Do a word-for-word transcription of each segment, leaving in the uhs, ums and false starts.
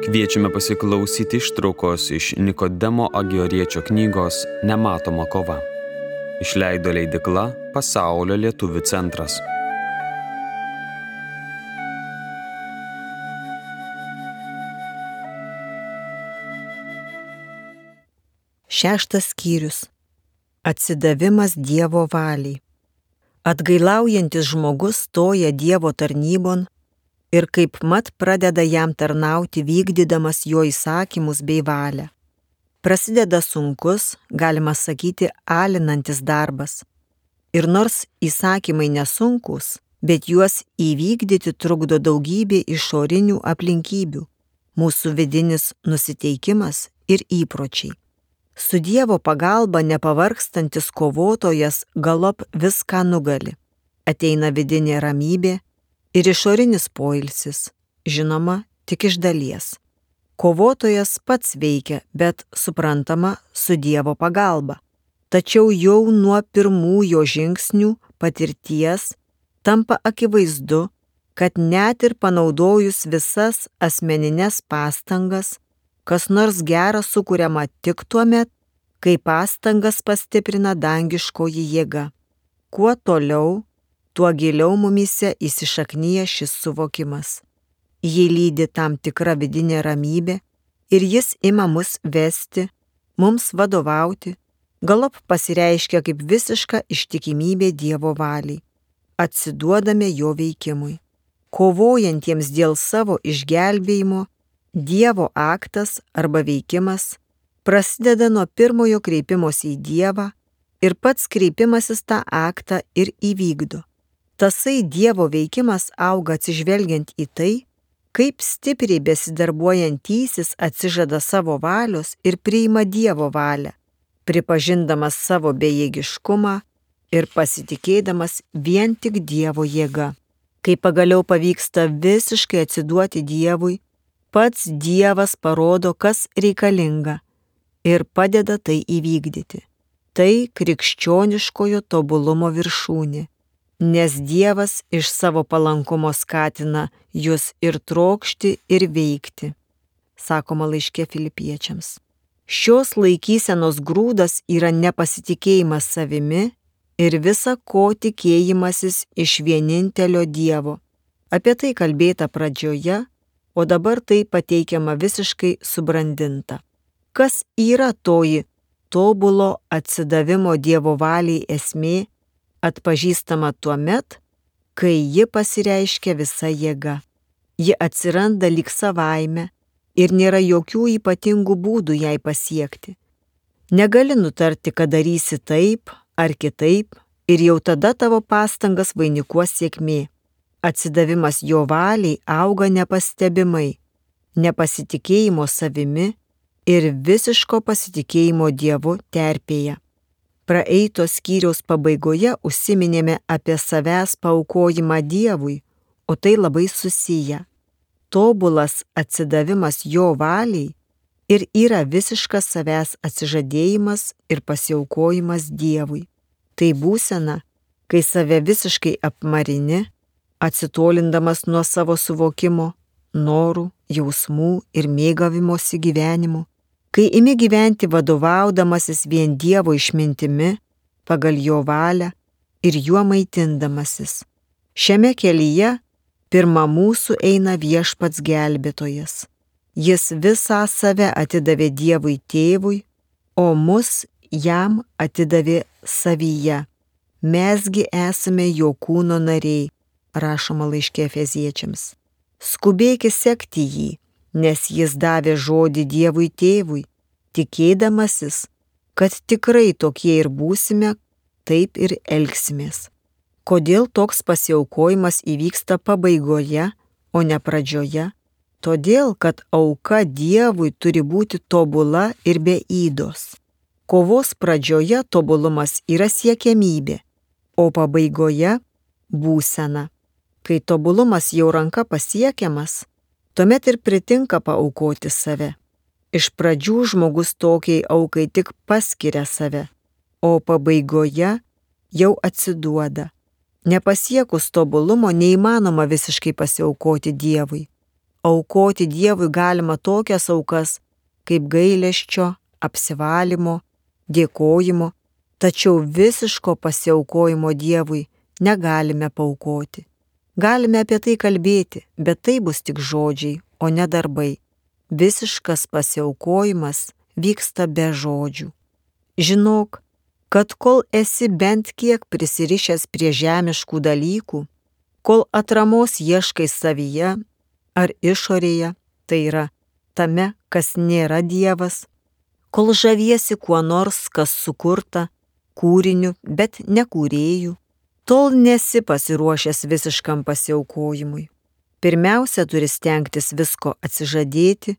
Kviečiame pasiklausyti ištraukos iš Nikodemo Agioriečio knygos Nematoma kova. Išleido leidykla Pasaulio lietuvių centras. Šeštas skyrius. Atsidavimas Dievo valiai. Atgailaujantis žmogus stoja Dievo tarnybon ir kaip mat pradeda jam tarnauti vykdydamas jo įsakymus bei valią. Prasideda sunkus, galima sakyti, alinantis darbas. Ir nors įsakymai nesunkus, bet juos įvykdyti trukdo daugybė išorinių aplinkybių, mūsų vidinis nusiteikimas ir įpročiai. Su Dievo pagalba nepavargstantis kovotojas galop viską nugali. Ateina vidinė ramybė ir išorinis poilsis, žinoma, tik iš dalies. Kovotojas pats veikia, bet suprantama su Dievo pagalba. Tačiau jau nuo pirmų jo žingsnių patirties tampa akivaizdu, kad net ir panaudojus visas asmenines pastangas, kas nors gera sukuriama tik tuomet, kai pastangas pastiprina dangiškoji jėga. Kuo toliau, tuo giliau mumyse įsišaknyja šis suvokimas. Jį lydi tam tikra vidinė ramybė ir jis ima mus vesti, mums vadovauti, galop pasireiškia kaip visiška ištikimybė Dievo valiai. Atsiduodame jo veikimui. Kovojantiems dėl savo išgelbėjimo, Dievo aktas arba veikimas prasideda nuo pirmojo kreipimosi į Dievą ir pats kreipimasis tą aktą ir įvykdo. Tasai Dievo veikimas auga atsižvelgiant į tai, kaip stipriai besidarbuojantysis atsižada savo valios ir priima Dievo valią, pripažindamas savo bejėgiškumą ir pasitikėdamas vien tik Dievo jėga. Kai pagaliau pavyksta visiškai atsiduoti Dievui, pats Dievas parodo, kas reikalinga ir padeda tai įvykdyti. Tai krikščioniškojo tobulumo viršūnė, nes Dievas iš savo palankumo skatina jus ir trokšti, ir veikti, sakoma laiške Filipiečiams. Šios laikysenos grūdas yra nepasitikėjimas savimi ir visa ko tikėjimasis iš vienintelio Dievo. Apie tai kalbėta pradžioje, o dabar tai pateikiama visiškai subrandinta. Kas yra toji tobulo atsidavimo Dievo valiai esmė, atpažįstama tuomet, kai ji pasireiškia visa jėga. Ji atsiranda lyg savaime ir nėra jokių ypatingų būdų jai pasiekti. Negali nutarti, kad darysi taip ar kitaip ir jau tada tavo pastangas vainikuos sėkmė. Atsidavimas jo valiai auga nepastebimai, nepasitikėjimo savimi ir visiško pasitikėjimo Dievu terpėje. Praeito skyriaus pabaigoje užsiminėme apie savęs paaukojimą Dievui, o tai labai susiję. Tobulas atsidavimas jo valiai ir yra visiškas savęs atsižadėjimas ir pasiaukojimas Dievui. Tai būsena, kai save visiškai apmarini, atsitolindamas nuo savo suvokimo, norų, jausmų ir mėgavimosi gyvenimu, kai imi gyventi vadovaudamasis vien Dievo išmintimi, pagal jo valią ir juo maitindamasis. Šiame kelyje pirma mūsų eina Viešpats gelbėtojas. Jis visą save atidavė Dievui Tėvui, o mus jam atidavė savyje. Mesgi esame jo kūno nariai, rašoma laiške Efeziečiams. Skubėkis sekti jį, nes jis davė žodį Dievui Tėvui, tikėdamasis, kad tikrai tokie ir būsime, taip ir elgsimės. Kodėl toks pasiaukojimas įvyksta pabaigoje, o ne pradžioje? Todėl, kad auka Dievui turi būti tobula ir be ydos. Kovos pradžioje tobulumas yra siekiamybė, o pabaigoje būsena. Kai tobulumas jau ranka pasiekiamas, tuomet ir pritinka paaukoti save. Iš pradžių žmogus tokiai aukai tik paskiria save, o pabaigoje jau atsiduoda. Nepasiekus tobulumo neįmanoma visiškai pasiaukoti Dievui. aukoti Dievui galima tokias aukas kaip gailesčio, apsivalymo, dėkojimo, tačiau visiško pasiaukojimo Dievui negalime paaukoti. Galime apie tai kalbėti, bet tai bus tik žodžiai, o ne darbai. Visiškas pasiaukojimas vyksta be žodžių. Žinok, kad kol esi bent kiek prisirišęs prie žemiškų dalykų, kol atramos ieškai savyje ar išorėje, tai yra tame, kas nėra Dievas, kol žaviesi kuo nors, kas sukurta, kūriniu, bet ne kūrėjų, tol nesi pasiruošęs visiškam pasiaukojimui. Pirmiausia, turi stengtis visko atsižadėti,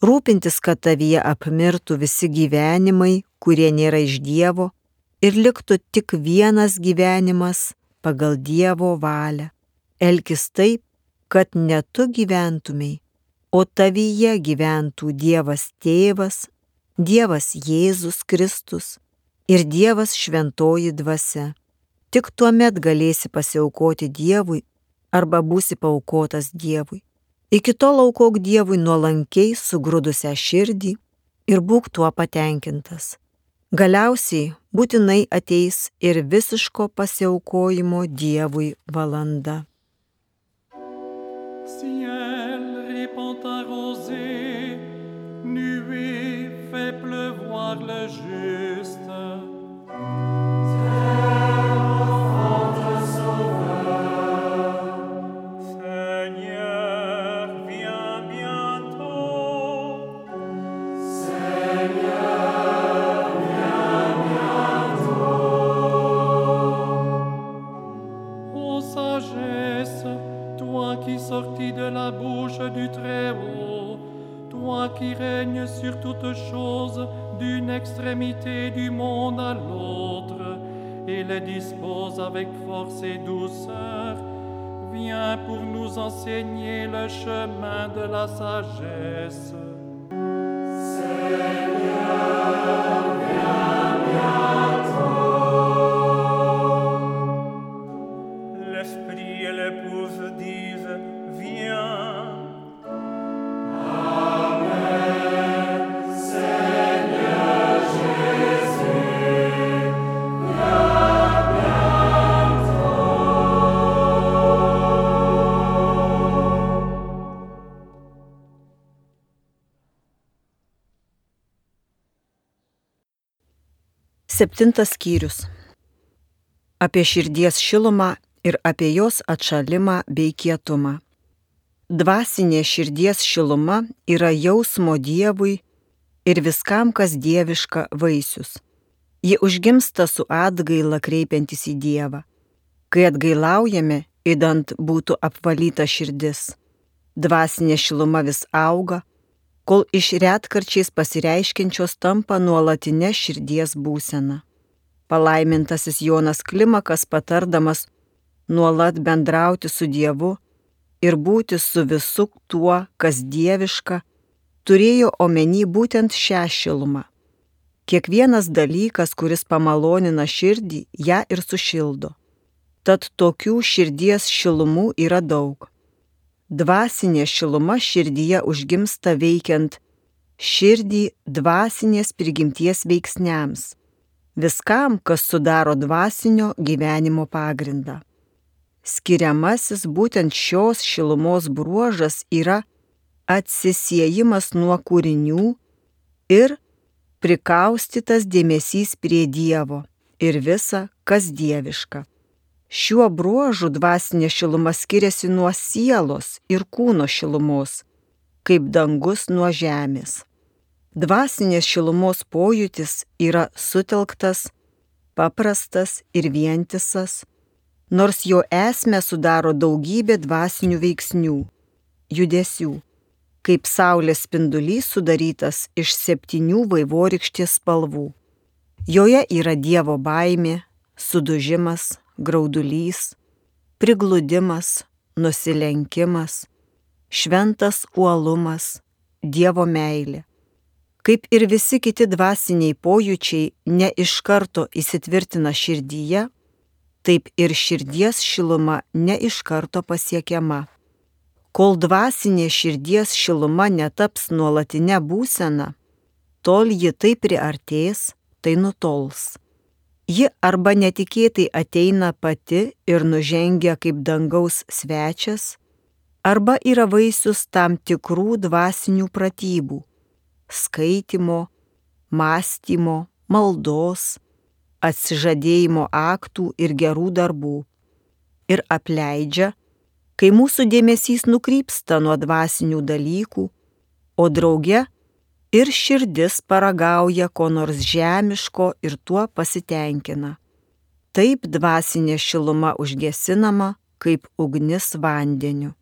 rūpintis, kad tavyje apmirtų visi gyvenimai, kurie nėra iš Dievo, ir liktų tik vienas gyvenimas pagal Dievo valią. Elkis taip, kad ne tu gyventumei, o tavyje gyventų Dievas Tėvas, Dievas Jėzus Kristus ir Dievas Šventoji Dvasia. Tik tuomet galėsi pasiaukoti Dievui arba būsi paaukotas Dievui. Iki tol aukok Dievui nuolankiai sugrūdusią širdį ir būk tuo patenkintas. Galiausiai būtinai ateis ir visiško pasiaukojimo Dievui valanda. Ciel répand ta rosée, nuée fait pleuvoir le juste. Sorti de la bouche du Très-Haut, toi qui règnes sur toutes choses d'une extrémité du monde à l'autre, et les disposes avec force et douceur, viens pour nous enseigner le chemin de la sagesse. Seigneur, viens bientôt. L'esprit et l'épouse disent, viens. Amen. Seigneur Jésus, viens bientôt. Septintas skyrius. Apie širdies šilumą ir apie jos atšalimą bei kietumą. Dvasinė širdies šiluma yra jausmo Dievui ir viskam, kas dieviška vaisius. Ji užgimsta su atgaila kreipiantis į Dievą. Kai atgailaujame, idant būtų apvalyta širdis. Dvasinė šiluma vis auga, kol iš retkarčiais pasireiškiančios tampa nuolatinė širdies būsena. Palaimintasis Jonas Klimakas patardamas nuolat bendrauti su Dievu ir būti su visu tuo, kas dieviška, turėjo omeny būtent šią šilumą. Kiekvienas dalykas, kuris pamalonina širdį, ją ir sušildo. Tad tokių širdies šilumų yra daug. Dvasinė šiluma širdyje užgimsta veikiant širdį dvasinės prigimties veiksniams, viskam, kas sudaro dvasinio gyvenimo pagrindą. Skiriamasis būtent šios šilumos bruožas yra atsisiejimas nuo kūrinių ir prikaustytas dėmesys prie Dievo ir visa, kas dieviška. Šiuo bruožu dvasinė šiluma skiriasi nuo sielos ir kūno šilumos, kaip dangus nuo žemės. Dvasinės šilumos pojūtis yra sutelktas, paprastas ir vientisas, nors jo esmę sudaro daugybė dvasinių veiksnių, judesių, kaip saulės spindulys sudarytas iš septynių vaivorykštės spalvų. Joje yra Dievo baimė, sudužimas, graudulys, prigludimas, nusilenkimas, šventas uolumas, Dievo meilė. Kaip ir visi kiti dvasiniai pojūčiai ne iš karto įsitvirtina širdyje, taip ir širdies šiluma ne iš karto pasiekiama. Kol dvasinė širdies šiluma netaps nuolatinė būsena, tol ji tai priartės, tai nutols. Ji arba netikėtai ateina pati ir nužengia kaip dangaus svečias, arba yra vaisius tam tikrų dvasinių pratybų – skaitymo, mąstymo, maldos, atsižadėjimo aktų ir gerų darbų. Ir apleidžia, kai mūsų dėmesys nukrypsta nuo dvasinių dalykų, o drauge ir širdis paragauja ko nors žemiško ir tuo pasitenkina. Taip dvasinė šiluma užgesinama kaip ugnis vandeniu.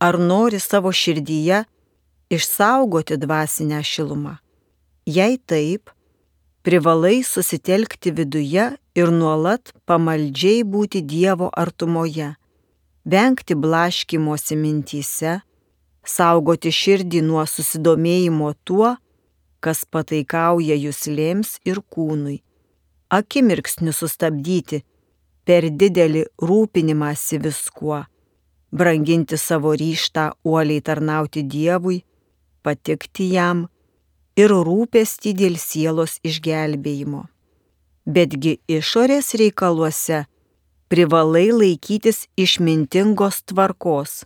Ar nori savo širdyje išsaugoti dvasinę šilumą? Jei taip, privalai susitelkti viduje ir nuolat pamaldžiai būti Dievo artumoje, vengti blaškymosi mintyse, saugoti širdį nuo susidomėjimo tuo, kas pataikauja juslėms ir kūnui, akimirksniu sustabdyti per didelį rūpinimąsi viskuo, branginti savo ryžtą uoliai tarnauti Dievui, patikti jam ir rūpestį dėl sielos išgelbėjimo. Betgi išorės reikaluose privalai laikytis išmintingos tvarkos,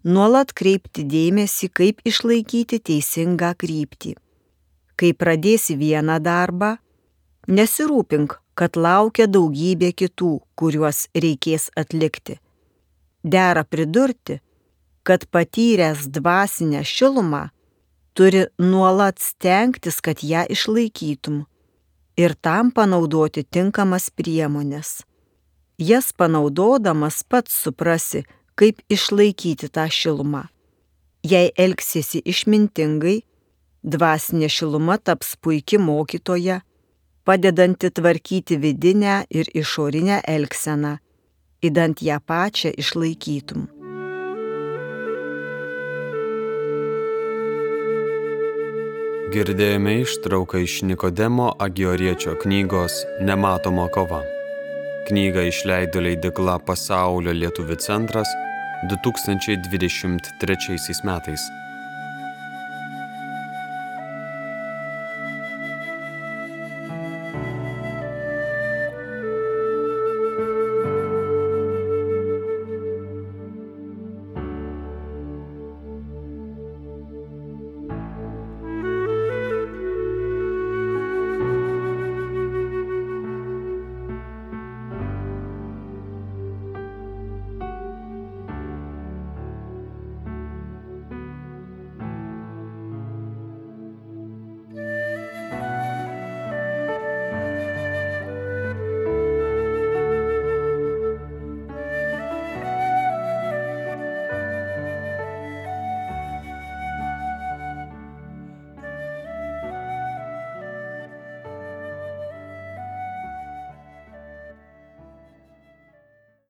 nuolat kreipti dėmesį, kaip išlaikyti teisingą kryptį. Kai pradėsi vieną darbą, nesirūpink, kad laukia daugybė kitų, kuriuos reikės atlikti. Dera pridurti, kad patyręs dvasinę šilumą turi nuolat stengtis, kad ją išlaikytum ir tam panaudoti tinkamas priemonės. Jas panaudodamas pats suprasi, kaip išlaikyti tą šilumą. Jei elgsiesi išmintingai, dvasinė šiluma taps puiki mokytoja, padedanti tvarkyti vidinę ir išorinę elgseną, idant ją pačią išlaikytum. Girdėjome ištrauką iš Nikodemo Agioriečio knygos Nematoma kova. Knygą išleido leidykla Pasaulio lietuvių centras du tūkstančiai dvidešimt trečiaisiais metais.